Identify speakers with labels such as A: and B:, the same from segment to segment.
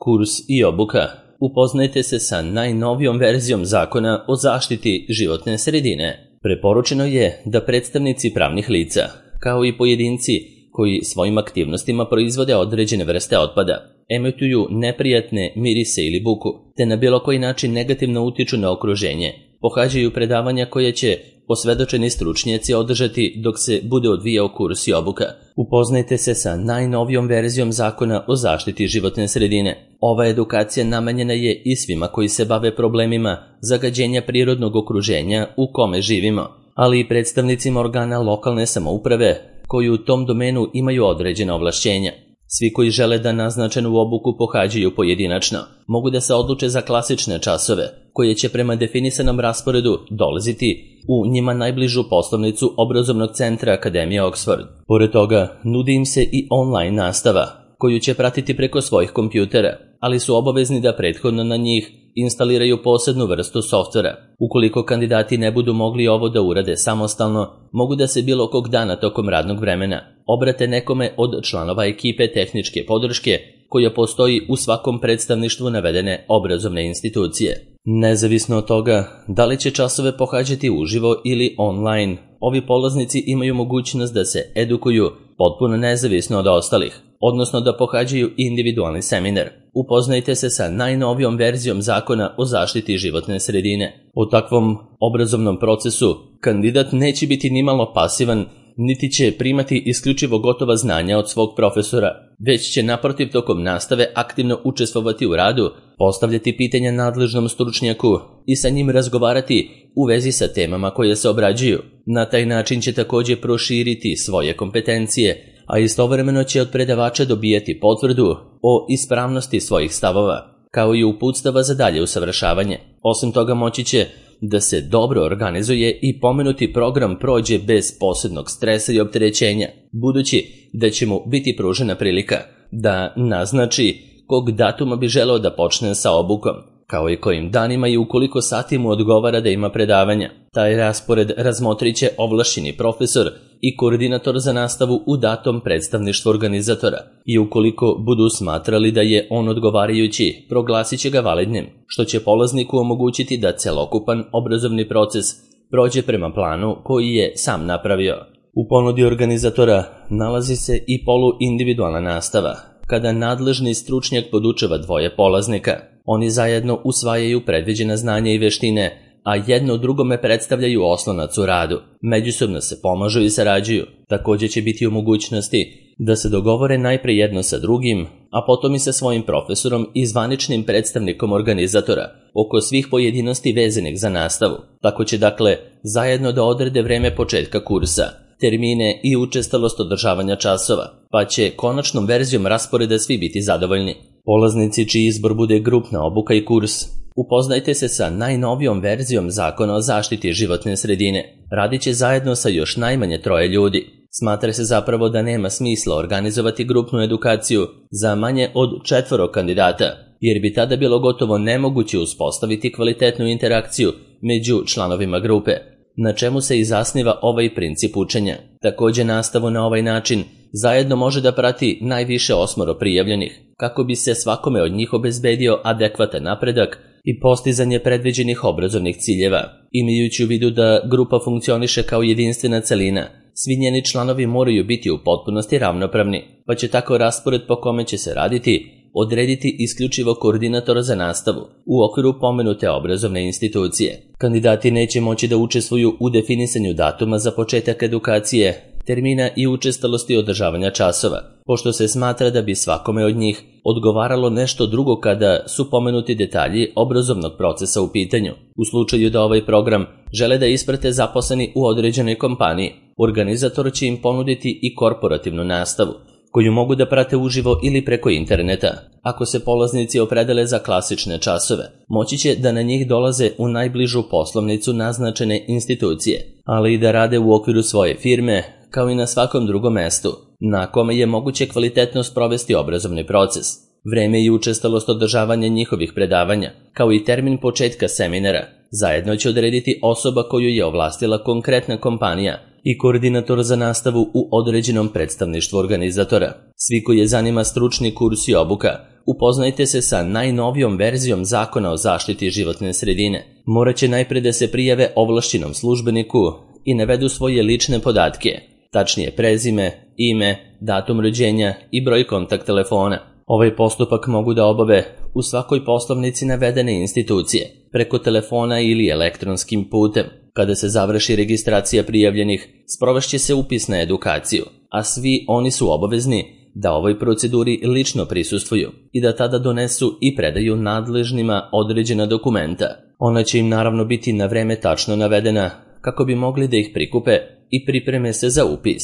A: Kurs i obuka. Upoznajte se sa najnovijom verzijom Zakona o zaštiti životne sredine. Preporučeno je da predstavnici pravnih lica, kao i pojedinci koji svojim aktivnostima proizvode određene vrste otpada, emituju neprijatne mirise ili buku, te na bilo koji način negativno utiču na okruženje, pohađaju predavanja koje će posvedočeni stručnjaci održati dok se bude odvijao kurs i obuka. Upoznajte se sa najnovijom verzijom Zakona o zaštiti životne sredine. Ova edukacija namenjena je i svima koji se bave problemima zagađenja prirodnog okruženja u kome živimo, ali i predstavnicima organa lokalne samouprave koji u tom domenu imaju određena ovlašćenja. Svi koji žele da naznačenu obuku pohađaju pojedinačno, mogu da se odluče za klasične časove, koje će prema definisanom rasporedu dolaziti u njima najbližu poslovnicu obrazovnog centra Akademije Oxford. Pored toga, nudi im se i online nastava, koju će pratiti preko svojih kompjutera, ali su obavezni da prethodno na njih instaliraju posebnu vrstu softvera. Ukoliko kandidati ne budu mogli ovo da urade samostalno, mogu da se bilo kog dana tokom radnog vremena obrate nekome od članova ekipe tehničke podrške koja postoji u svakom predstavništvu navedene obrazovne institucije. Nezavisno od toga da li će časove pohađati uživo ili online, ovi polaznici imaju mogućnost da se edukuju potpuno nezavisno od ostalih, odnosno da pohađaju individualni seminar. Upoznajte se sa najnovijom verzijom Zakona o zaštiti životne sredine. U takvom obrazovnom procesu kandidat neće biti nimalo pasivan, niti će primati isključivo gotova znanja od svog profesora, već će naprotiv tokom nastave aktivno učestvovati u radu, postavljati pitanja nadležnom stručnjaku i sa njim razgovarati u vezi sa temama koje se obrađuju. Na taj način će također proširiti svoje kompetencije, a istovremeno će od predavača dobijati potvrdu o ispravnosti svojih stavova, kao i uputstava za dalje usavršavanje. Osim toga moći će da se dobro organizuje i pomenuti program prođe bez posebnog stresa i opterećenja, budući da će mu biti pružena prilika da naznači kog datuma bi želeo da počne sa obukom, kao i kojim danima i ukoliko sati mu odgovara da ima predavanja. Taj raspored razmotrit će ovlašćeni profesor i koordinator za nastavu u datom predstavništvu organizatora i ukoliko budu smatrali da je on odgovarajući, proglasit će ga validnim, što će polazniku omogućiti da celokupan obrazovni proces prođe prema planu koji je sam napravio. U ponudi organizatora nalazi se i poluindividualna nastava, kada nadležni stručnjak podučava dvoje polaznika. Oni zajedno usvajaju predviđena znanja i veštine, a jedno drugome predstavljaju oslonac u radu. Međusobno se pomažu i sarađuju. Također će biti u mogućnosti da se dogovore najpre jedno sa drugim, a potom i sa svojim profesorom i zvaničnim predstavnikom organizatora oko svih pojedinosti vezanih za nastavu. Tako će dakle zajedno da odrede vreme početka kursa, termine i učestalost održavanja časova, pa će konačnom verzijom rasporeda svi biti zadovoljni. Polaznici čiji izbor bude grupna obuka i kurs, upoznajte se sa najnovijom verzijom Zakona o zaštiti životne sredine. Radit će zajedno sa još najmanje 3 ljudi. Smatra se zapravo da nema smisla organizovati grupnu edukaciju za manje od 4 kandidata, jer bi tada bilo gotovo nemoguće uspostaviti kvalitetnu interakciju među članovima grupe, na čemu se i zasniva ovaj princip učenja. Također nastavu na ovaj način zajedno može da prati najviše 8 prijavljenih, kako bi se svakome od njih obezbedio adekvatan napredak i postizanje predviđenih obrazovnih ciljeva. Imajući u vidu da grupa funkcioniše kao jedinstvena celina, svi njeni članovi moraju biti u potpunosti ravnopravni, pa će tako raspored po kome će se raditi odrediti isključivo koordinator za nastavu u okviru pomenute obrazovne institucije. Kandidati neće moći da učestvuju u definisanju datuma za početak edukacije, termina i učestalosti održavanja časova, pošto se smatra da bi svakome od njih odgovaralo nešto drugo kada su pomenuti detalji obrazovnog procesa u pitanju. U slučaju da ovaj program žele da isprate zaposleni u određenoj kompaniji, organizator će im ponuditi i korporativnu nastavu, koju mogu da prate uživo ili preko interneta. Ako se polaznici opredele za klasične časove, moći će da na njih dolaze u najbližu poslovnicu naznačene institucije, ali i da rade u okviru svoje firme, kao i na svakom drugom mestu, na kome je moguće kvalitetno sprovesti obrazovni proces. Vreme i učestalost održavanja njihovih predavanja, kao i termin početka seminara, zajedno će odrediti osoba koju je ovlastila konkretna kompanija i koordinator za nastavu u određenom predstavništvu organizatora. Svi koji je zanima stručni kurs i obuka, upoznajte se sa najnovijom verzijom Zakona o zaštiti životne sredine. Morat će najpre da se prijave ovlašćenom službeniku i navedu svoje lične podatke, tačnije prezime, ime, datum rođenja i broj kontakt telefona. Ovaj postupak mogu da obave u svakoj poslovnici navedene institucije, preko telefona ili elektronskim putem. Kada se završi registracija prijavljenih, sprovešće se upis na edukaciju, a svi oni su obavezni da ovoj proceduri lično prisustvuju i da tada donesu i predaju nadležnima određena dokumenta. Ona će im naravno biti na vreme tačno navedena kako bi mogli da ih prikupe i pripreme se za upis.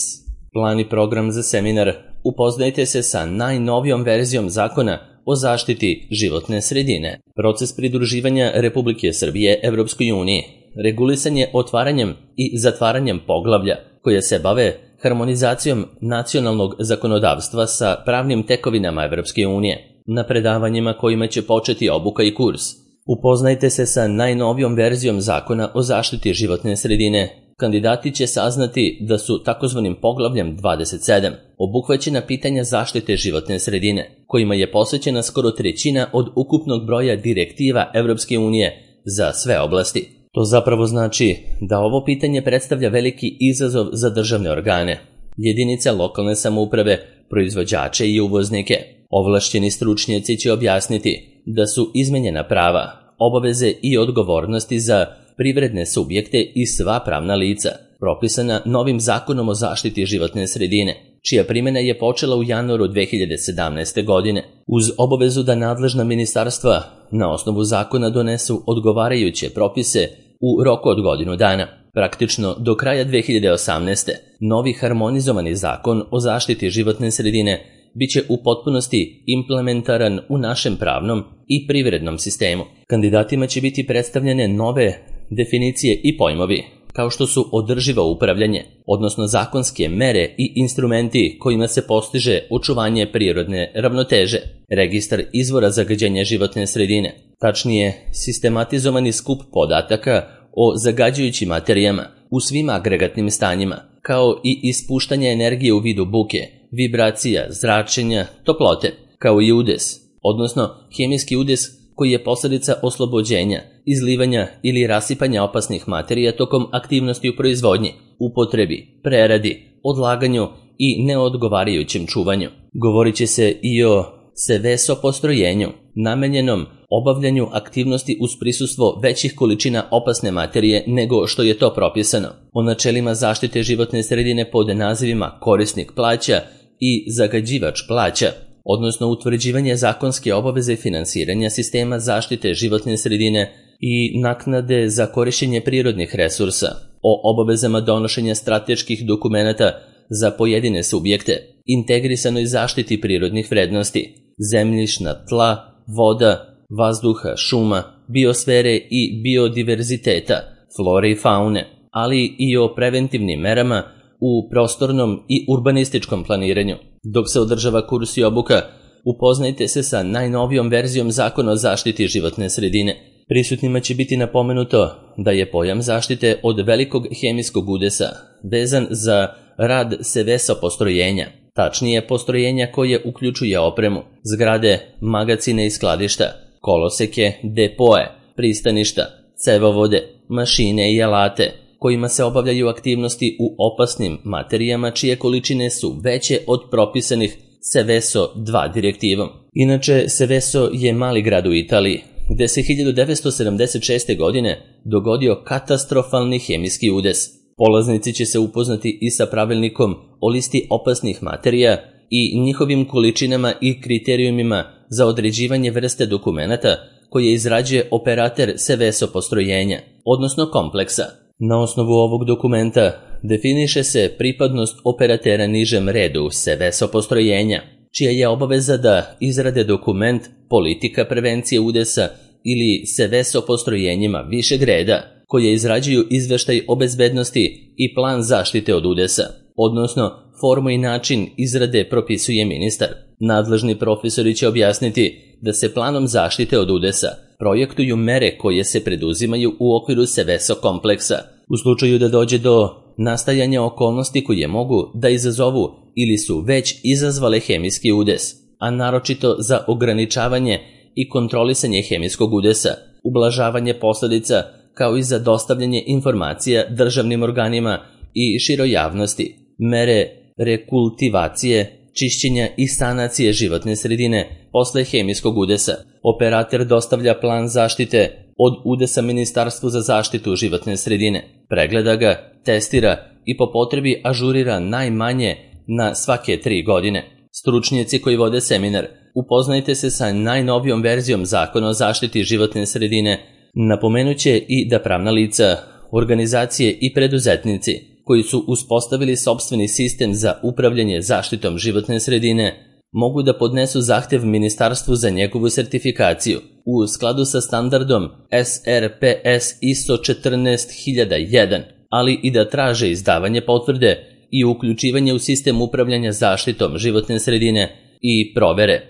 A: Plan i program za seminar: upoznajte se sa najnovijom verzijom Zakona o zaštiti životne sredine. Proces pridruživanja Republike Srbije Evropskoj uniji regulisan je otvaranjem i zatvaranjem poglavlja koje se bave harmonizacijom nacionalnog zakonodavstva sa pravnim tekovinama Evropske unije. Na predavanjima kojima će početi obuka i kurs, upoznajte se sa najnovijom verzijom Zakona o zaštiti životne sredine. Kandidati će saznati da su takozvanim poglavljem 27 obuhvaćena pitanja zaštite životne sredine, kojima je posvećena skoro trećina od ukupnog broja direktiva Evropske unije za sve oblasti. To zapravo znači da ovo pitanje predstavlja veliki izazov za državne organe, jedinice lokalne samouprave, proizvođače i uvoznike. Ovlašćeni stručnjaci će objasniti da su izmenjena prava, obaveze i odgovornosti za privredne subjekte i sva pravna lica, propisana novim Zakonom o zaštiti životne sredine, čija primjena je počela u januaru 2017. godine, uz obavezu da nadležna ministarstva na osnovu zakona donesu odgovarajuće propise u roku od godinu dana. Praktično do kraja 2018. novi harmonizovani Zakon o zaštiti životne sredine biće u potpunosti implementaran u našem pravnom i privrednom sistemu. Kandidatima će biti predstavljene nove definicije i pojmovi, kao što su održivo upravljanje, odnosno zakonske mere i instrumenti kojima se postiže očuvanje prirodne ravnoteže, registar izvora zagađenja životne sredine, tačnije sistematizovani skup podataka o zagađujućim materijama u svim agregatnim stanjima, kao i ispuštanje energije u vidu buke, vibracija, zračenja, toplote, kao i udes, odnosno hemijski udes koji je posljedica oslobođenja, izlivanja ili rasipanja opasnih materija tokom aktivnosti u proizvodnji, upotrebi, preradi, odlaganju i neodgovarajućem čuvanju. Govorit će se i o SEVESO postrojenju, namenjenom obavljanju aktivnosti uz prisustvo većih količina opasne materije nego što je to propisano, o načelima zaštite životne sredine pod nazivima korisnik plaća i zagađivač plaća, odnosno utvrđivanje zakonske obaveze finansiranja sistema zaštite životne sredine i naknade za korišćenje prirodnih resursa, o obavezama donošenja strateških dokumenata za pojedine subjekte, integrisanoj zaštiti prirodnih vrednosti, zemljišna tla, voda, vazduha, šuma, biosfere i biodiverziteta, flore i faune, ali i o preventivnim merama u prostornom i urbanističkom planiranju. Dok se održava kurs i obuka, upoznajte se sa najnovijom verzijom Zakona o zaštiti životne sredine. Prisutnima će biti napomenuto da je pojam zaštite od velikog hemijskog udesa vezan za rad SEVESO postrojenja, tačnije postrojenja koje uključuje opremu, zgrade, magacine i skladišta, koloseke, depoe, pristaništa, cevovode, mašine i alate, kojima se obavljaju aktivnosti u opasnim materijama čije količine su veće od propisanih SEVESO 2 direktivom. Inače, SEVESO je mali grad u Italiji, gde se 1976. godine dogodio katastrofalni hemijski udes. Polaznici će se upoznati i sa pravilnikom o listi opasnih materija i njihovim količinama i kriterijumima za određivanje vrste dokumenata koje izrađuje operater SEVESO postrojenja, odnosno kompleksa. Na osnovu ovog dokumenta definiše se pripadnost operatera nižem redu SEVESO postrojenja, čija je obaveza da izrade dokument politika prevencije udesa ili SEVESO postrojenjima višeg reda, koje izrađuju izveštaj o bezbednosti i plan zaštite od udesa, odnosno formu i način izrade propisuje ministar. Nadležni profesori će objasniti da se planom zaštite od udesa projektuju mere koje se preduzimaju u okviru SEVESO kompleksa. U slučaju da dođe do nastajanja okolnosti koje mogu da izazovu ili su već izazvale hemijski udes, a naročito za ograničavanje i kontrolisanje hemijskog udesa, ublažavanje posledica, kao i za dostavljanje informacija državnim organima i široj javnosti, mere rekultivacije, čišćenja i sanacije životne sredine posle hemijskog udesa. Operator dostavlja plan zaštite od udesa Ministarstvu za zaštitu životne sredine, pregleda ga, testira i po potrebi ažurira najmanje na svake 3 godine. Stručnjaci koji vode seminar, upoznajte se sa najnovijom verzijom Zakona o zaštiti životne sredine. Napomenuće i da pravna lica, organizacije i preduzetnici koji su uspostavili sopstveni sistem za upravljanje zaštitom životne sredine mogu da podnesu zahtev ministarstvu za njegovu sertifikaciju u skladu sa standardom SRPS ISO 14001, ali i da traže izdavanje potvrde i uključivanje u sistem upravljanja zaštitom životne sredine i provere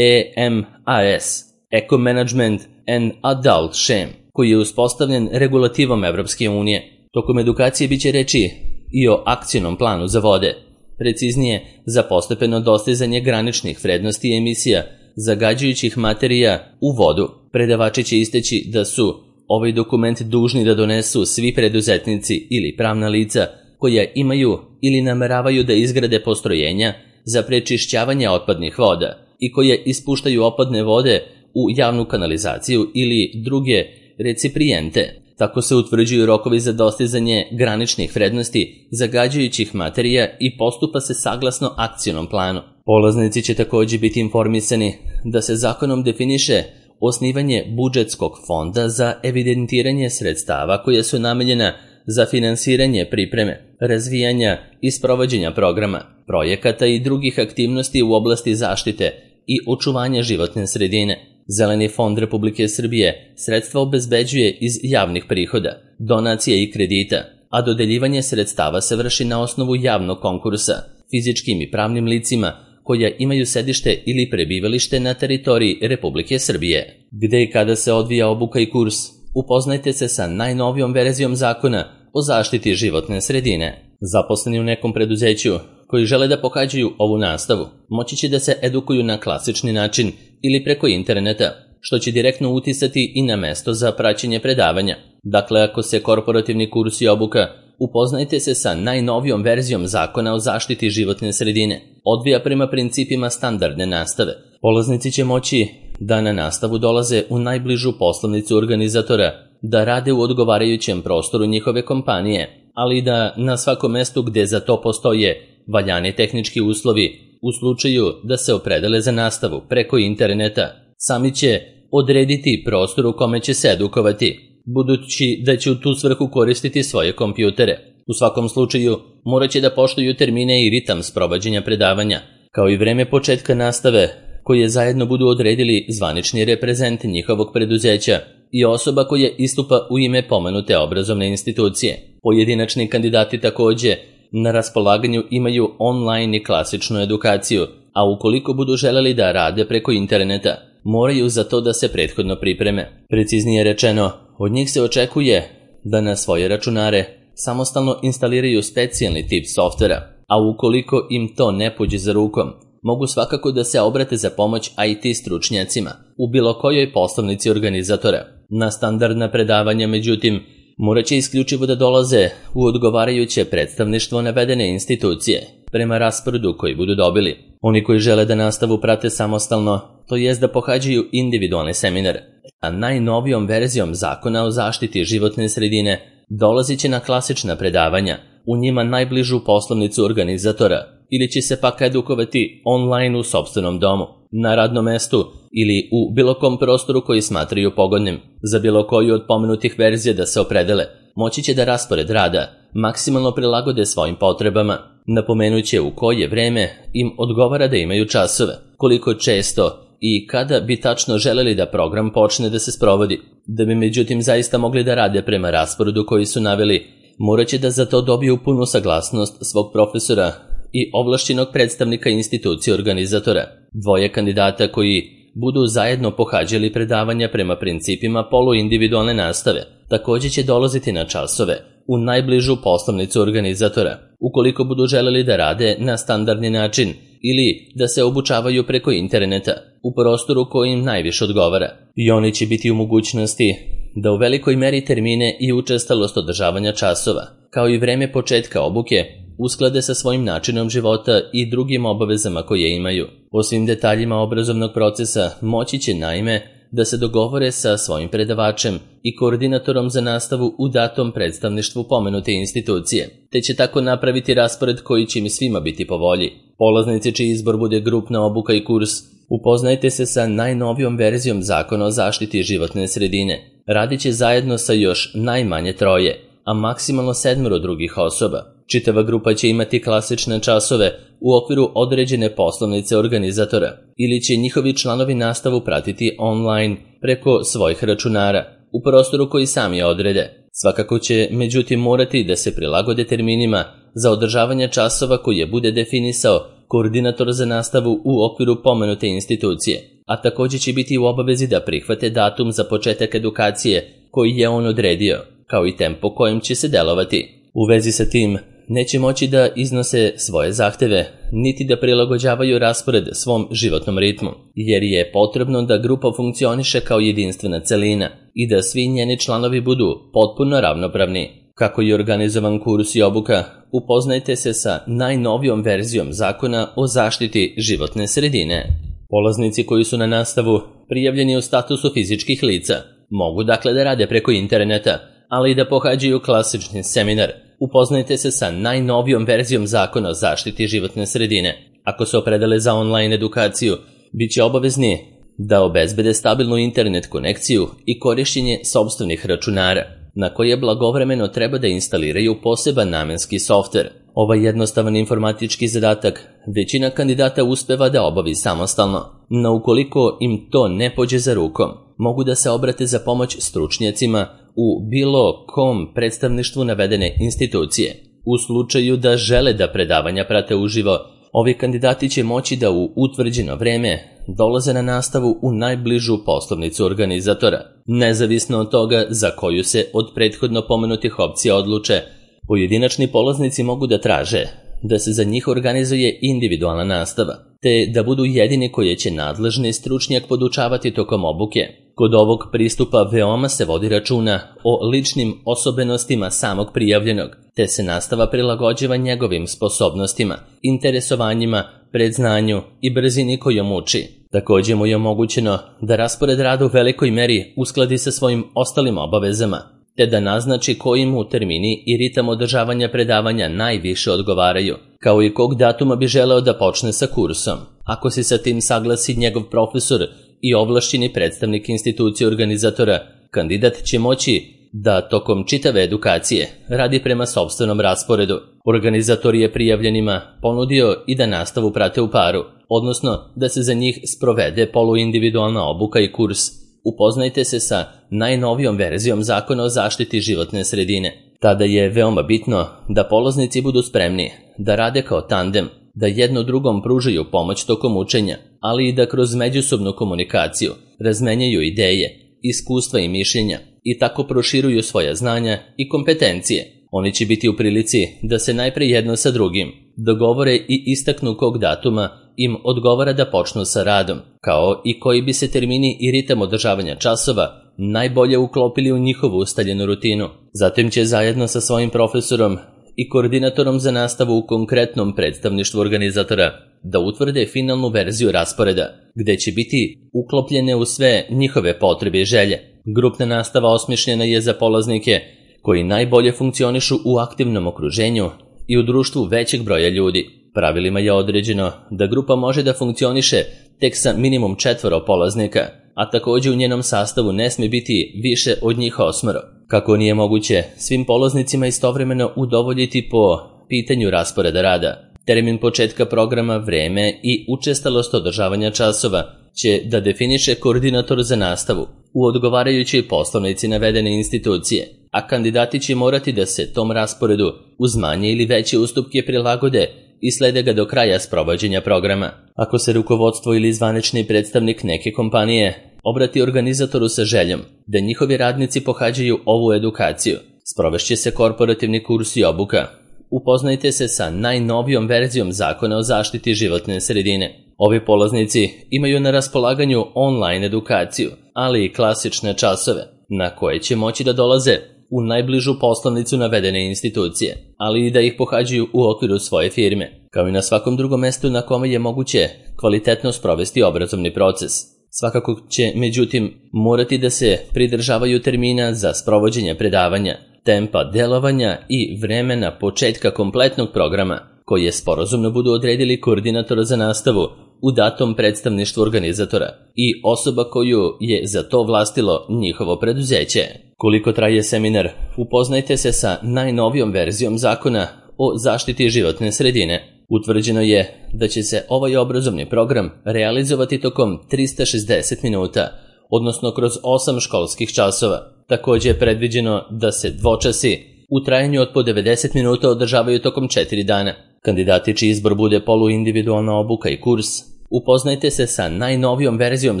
A: EMAS, Eco Management and Adult Shame, koji je uspostavljen regulativom Evropske unije. Tokom edukacije biće reči i o akcionom planu za vode, preciznije za postepeno dostizanje graničnih vrednosti emisija zagađujućih materija u vodu. Predavači će isteći da su ovaj dokument dužni da donesu svi preduzetnici ili pravna lica koja imaju ili nameravaju da izgrade postrojenja za prečišćavanje otpadnih voda i koje ispuštaju otpadne vode u javnu kanalizaciju ili druge recipijente. Tako se utvrđuju rokovi za dostizanje graničnih vrednosti zagađujućih materija i postupa se saglasno akcionom planu. Polaznici će također biti informisani da se zakonom definiše osnivanje budžetskog fonda za evidentiranje sredstava koja su namenjena za finansiranje pripreme, razvijanja i sprovođenja programa, projekata i drugih aktivnosti u oblasti zaštite i očuvanja životne sredine. Zeleni fond Republike Srbije sredstva obezbeđuje iz javnih prihoda, donacija i kredita, a dodeljivanje sredstava se vrši na osnovu javnog konkursa fizičkim i pravnim licima koja imaju sedište ili prebivalište na teritoriji Republike Srbije. Gde i kada se odvija obuka i kurs, upoznajte se sa najnovijom verzijom Zakona o zaštiti životne sredine. Zaposleni u nekom preduzeću koji žele da pohađaju ovu nastavu moći će da se edukuju na klasični način ili preko interneta, što će direktno uticati i na mesto za praćenje predavanja. Dakle, ako se korporativni kurs i obuka, upoznajte se sa najnovijom verzijom Zakona o zaštiti životne sredine, odvija prema principima standardne nastave. Polaznici će moći da na nastavu dolaze u najbližu poslovnicu organizatora, da rade u odgovarajućem prostoru njihove kompanije, ali i da na svakom mestu gde za to postoje valjani tehnički uslovi, u slučaju da se opredele za nastavu preko interneta, sami će odrediti prostor u kome će se edukovati, budući da će u tu svrhu koristiti svoje kompjutere. U svakom slučaju, morat će da poštuju termine i ritam sprovođenja predavanja, kao i vreme početka nastave, koje zajedno budu odredili zvanični reprezent njihovog preduzeća i osoba koja istupa u ime pomenute obrazovne institucije. Pojedinačni kandidati također na raspolaganju imaju online i klasičnu edukaciju, a ukoliko budu želeli da rade preko interneta, moraju za to da se prethodno pripreme. Preciznije rečeno, od njih se očekuje da na svoje računare samostalno instaliraju specijalni tip softvera, a ukoliko im to ne pođe za rukom, mogu svakako da se obrate za pomoć IT stručnjacima u bilo kojoj poslovnici organizatora. Na standardna predavanja, međutim, morat će isključivo da dolaze u odgovarajuće predstavništvo navedene institucije, prema rasporedu koji budu dobili. Oni koji žele da nastavu prate samostalno, to jest da pohađaju individualne seminare, a najnovijom verzijom Zakona o zaštiti životne sredine dolazit će na klasična predavanja, u njima najbližu poslovnicu organizatora, ili će se pak edukovati online u sopstvenom domu, na radnom mestu ili u bilo kom prostoru koji smatraju pogodnim. Za bilo koju od pomenutih verzija da se opredele, moći će da raspored rada maksimalno prilagode svojim potrebama. Napomenuće u koje vreme im odgovara da imaju časove, koliko često i kada bi tačno želeli da program počne da se sprovodi. Da bi međutim zaista mogli da rade prema rasporedu koji su naveli, morat će da za to dobiju punu saglasnost svog profesora i ovlašćenog predstavnika institucije organizatora. Dvoje kandidata koji budu zajedno pohađali predavanja prema principima poluindividualne nastave također će dolaziti na časove u najbližu poslovnicu organizatora, ukoliko budu želeli da rade na standardni način ili da se obučavaju preko interneta u prostoru koji im najviše odgovara. I oni će biti u mogućnosti da u velikoj meri termine i učestalost održavanja časova, kao i vreme početka obuke, usklade sa svojim načinom života i drugim obavezama koje imaju. O svim detaljima obrazovnog procesa moći će naime da se dogovore sa svojim predavačem i koordinatorom za nastavu u datom predstavništvu pomenute institucije, te će tako napraviti raspored koji će im svima biti po volji. Polaznici čiji izbor bude grupna obuka i kurs, upoznajte se sa najnovijom verzijom Zakona o zaštiti životne sredine. Radit će zajedno sa još najmanje 3, a maksimalno 7 drugih osoba. Čitava grupa će imati klasične časove u okviru određene poslovnice organizatora ili će njihovi članovi nastavu pratiti online preko svojih računara u prostoru koji sami odrede. Svakako će međutim morati da se prilagode terminima za održavanje časova koje bude definisao koordinator za nastavu u okviru pomenute institucije, a također će biti u obavezi da prihvate datum za početak edukacije koji je on odredio, kao i tempo kojim će se delovati. U vezi sa tim, neće moći da iznose svoje zahteve, niti da prilagođavaju raspored svom životnom ritmu, jer je potrebno da grupa funkcioniše kao jedinstvena celina i da svi njeni članovi budu potpuno ravnopravni. Kako je organizovan kurs i obuka, upoznajte se sa najnovijom verzijom Zakona o zaštiti životne sredine. Polaznici koji su na nastavu prijavljeni u statusu fizičkih lica mogu dakle da rade preko interneta, ali i da pohađaju klasični seminar. Upoznajte se sa najnovijom verzijom Zakona o zaštiti životne sredine. Ako se opredele za online edukaciju, bit će obavezni da obezbede stabilnu internet konekciju i korišćenje sopstvenih računara, na koje blagovremeno treba da instaliraju poseban namenski softver. Ovaj jednostavan informatički zadatak većina kandidata uspeva da obavi samostalno, no ukoliko im to ne pođe za rukom, mogu da se obrate za pomoć stručnjacima u bilo kom predstavništvu navedene institucije. U slučaju da žele da predavanja prate uživo, ovi kandidati će moći da u utvrđeno vreme dolaze na nastavu u najbližu poslovnicu organizatora. Nezavisno od toga za koju se od prethodno pomenutih opcija odluče, pojedinačni polaznici mogu da traže da se za njih organizuje individualna nastava, te da budu jedini koje će nadležni stručnjak podučavati tokom obuke. Kod ovog pristupa veoma se vodi računa o ličnim osobenostima samog prijavljenog, te se nastava prilagođava njegovim sposobnostima, interesovanjima, predznanju i brzini kojom uči. Također mu je omogućeno da raspored rada u velikoj meri uskladi sa svojim ostalim obavezama, te da naznači koji mu termini i ritam održavanja predavanja najviše odgovaraju, kao i kog datuma bi želeo da počne sa kursom. Ako se sa tim saglasi njegov profesor i ovlašćeni predstavnik institucije organizatora, kandidat će moći da tokom čitave edukacije radi prema sopstvenom rasporedu. Organizator je prijavljenima ponudio i da nastavu prate u paru, odnosno da se za njih sprovede poluindividualna obuka i kurs. Upoznajte se sa najnovijom verzijom Zakona o zaštiti životne sredine. Tada je veoma bitno da polaznici budu spremni da rade kao tandem, da jedno drugom pružaju pomoć tokom učenja, ali i da kroz međusobnu komunikaciju razmenjaju ideje, iskustva i mišljenja i tako proširuju svoja znanja i kompetencije. Oni će biti u prilici da se najpre jedno sa drugim dogovore i istaknu kog datuma im odgovara da počnu sa radom, kao i koji bi se termini i ritam održavanja časova najbolje uklopili u njihovu ustaljenu rutinu. Zatim će zajedno sa svojim profesorom i koordinatorom za nastavu u konkretnom predstavništvu organizatora da utvrde finalnu verziju rasporeda, gde će biti uklopljene u sve njihove potrebe i želje. Grupna nastava osmišljena je za polaznike koji najbolje funkcionišu u aktivnom okruženju i u društvu većeg broja ljudi. Pravilima je određeno da grupa može da funkcioniše tek sa minimum 4 polaznika, a također u njenom sastavu ne smije biti više od njih 8. Kako nije moguće svim polaznicima istovremeno udovoljiti po pitanju rasporeda rada, termin početka programa, vreme i učestalost održavanja časova će da definiše koordinator za nastavu u odgovarajućoj poslovnici navedene institucije, a kandidati će morati da se tom rasporedu uz manje ili veće ustupke prilagode i slede ga do kraja sprovođenja programa. Ako se rukovodstvo ili zvanični predstavnik neke kompanije obrati organizatoru sa željom da njihovi radnici pohađaju ovu edukaciju, Sprovešće se korporativni kurs i obuka. Upoznajte se sa najnovijom verzijom Zakona o zaštiti životne sredine. Ovi polaznici imaju na raspolaganju online edukaciju, ali i klasične časove, na koje će moći da dolaze u najbližu poslovnicu navedene institucije, ali i da ih pohađaju u okviru svoje firme, kao i na svakom drugom mestu na kome je moguće kvalitetno sprovesti obrazovni proces. Svakako će, međutim, morati da se pridržavaju termina za sprovođenje predavanja, tempa delovanja i vremena početka kompletnog programa, koje sporazumno budu odredili koordinator za nastavu u datom predstavništvu organizatora i osoba koju je za to vlastilo njihovo preduzeće. Koliko traje seminar, upoznajte se sa najnovijom verzijom Zakona o zaštiti životne sredine. Utvrđeno je da će se ovaj obrazovni program realizovati tokom 360 minuta, odnosno kroz 8 školskih časova. Također je predviđeno da se dvočasi u trajanju od po 90 minuta održavaju tokom 4 dana. Kandidati čiji izbor bude poluindividualna obuka i kurs, upoznajte se sa najnovijom verzijom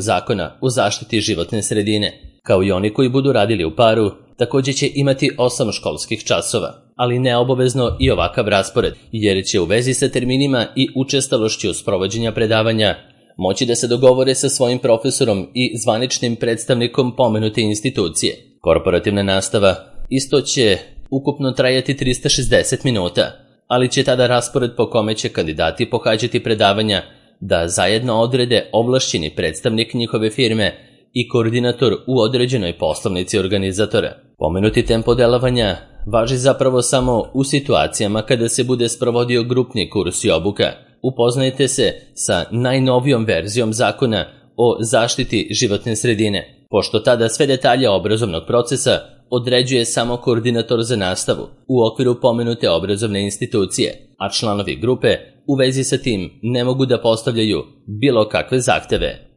A: Zakona o zaštiti životne sredine, kao i oni koji budu radili u paru, također će imati 8 školskih časova, ali ne obavezno i ovakav raspored, jer će u vezi sa terminima i učestalošću sprovođenja predavanja moći da se dogovore sa svojim profesorom i zvaničnim predstavnikom pomenute institucije. Korporativna nastava isto će ukupno trajati 360 minuta, ali će tada raspored po kome će kandidati pohađati predavanja da zajedno odrede ovlašćeni predstavnik njihove firme i koordinator u određenoj poslovnici organizatora. Pomenuti tempo delovanja važi zapravo samo u situacijama kada se bude sprovodio grupni kurs i obuka. Upoznajte se sa najnovijom verzijom Zakona o zaštiti životne sredine, pošto tada sve detalje obrazovnog procesa određuje samo koordinator za nastavu u okviru pomenute obrazovne institucije, a članovi grupe u vezi sa tim ne mogu da postavljaju bilo kakve zahteve.